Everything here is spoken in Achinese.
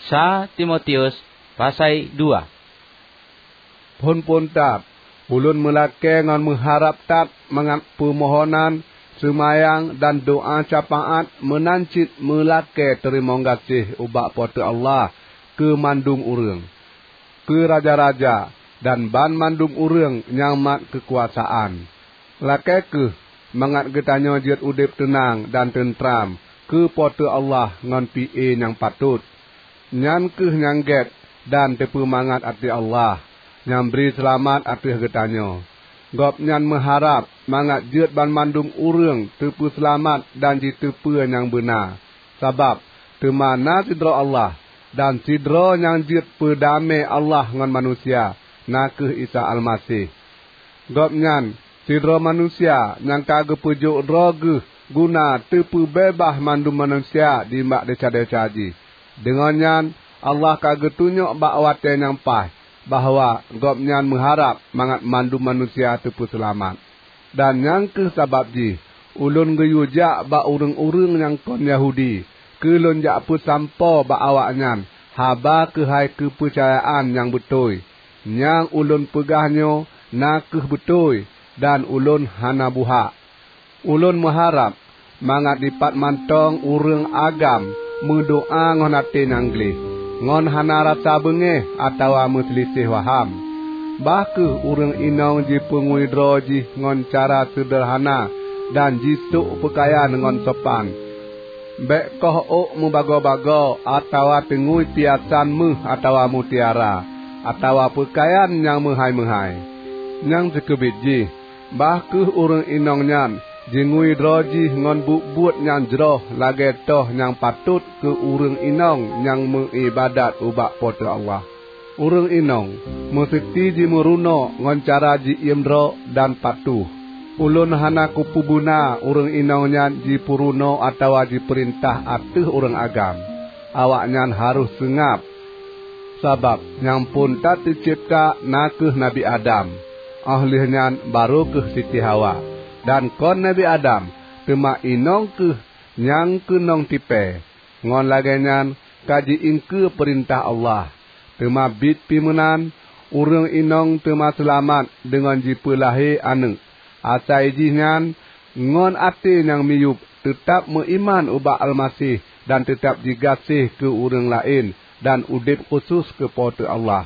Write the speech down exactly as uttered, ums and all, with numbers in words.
Sa Timotius pasai dua. Phon-phon that, ulôn meulakée ngon meuharab that mangat peumohonan, seumayang, dan doá syafaát meunan cit meulakée teurimong gaséh ubak Po teu Allah keu mandum ureuëng, keu raja-raja, dan banmandum ureuëng nyang mat keukuasaan. Lakée kheueh mangat geutanyoe jeuet udeb teunang dan teutram keu Po teu Allah ngon pié nyang patot. Nyan kheueh nyang gét dan teupeumangat até Allah, nyang bri seulamat ateueh geutanyoe. Gobnyan meuharab mangat jeuet banmandum ureuëng teupeuseulamat dan jiteupeue nyang beuna. Sabab teuma na sidroe Allah, dan sidroe nyang jeuet peudamé Allah ngon manusia, na kheueh Isa Almaseh. Gobnyan sidroe manusia nyang ka geupeujok droe geuh guna teupeubeubaih mandum manusia nibak desya-desya jih. Deungon nyan, Allah ka geutunyok bak watée nyang paih bahwa Gobnyan meuharab mangat mandum manusia teupeuseulamat. Dan nyang kheueh sabab jih ulôn geuyue jak bak ureuëng-ureuëng nyang kon Yahudi keu lôn jak peusampoe bak awaknyan haba keuhai keupeucayaan nyang beutôi. Nyang ulôn peugah nyoe na kheueh beutôi, dan ulôn hana buhak. Ulôn meuharab mangat dipat mantong ureuëng agam meudoá ngon até nyang gleh, ngon hana rasa beungéh atawa meuseuliseh waham. Bah kheueh ureuëng inong jipeungui droe jih ngon cara seudeurhana dan jisôk peukayan ngon sopan. Bék koh ôk meubagoe-bagoe atawa teungui piasan méuh atawa mutiara, atawa peukayan nyang meuhai-meuhai. Nyang sikeubit jih, bah kheueh ureuëng inong nyan jingui droe jih ngon buet-buet nyang jroh lagée toh nyang patot keu ureuëng inong nyang meuiébadat ubak Po teu Allah. Ureuëng inong meuseuti jimeurunoe ngon cara ji-iem droe dan patuh. Ulôn hana kupeubeuna ureuëng inong nyan jipeurunoe atawa jipeurintah ateueh ureuëng agam. Awaknyan harôh seungab, sabab nyang phon that teucebta na kheueh Nabi Adam, óh lheueh nyan barô kheueh Siti Hawa. Dan kon Nabi Adam, teuma inong kheueh nyang keunong tipée. Ngon lagée nyan ka ji-iengkeue peurintah Allah. Teuma biet pih meunan, ureuëng inong teuma seulamat deungon jipeulahé aneuëk. Asai jih nyan, ngon até nyang miyueb teutab meuiman ubak Almaseh dan teutab jigaséh keu ureuëng laén dan udeb khusos keu Po teu Allah.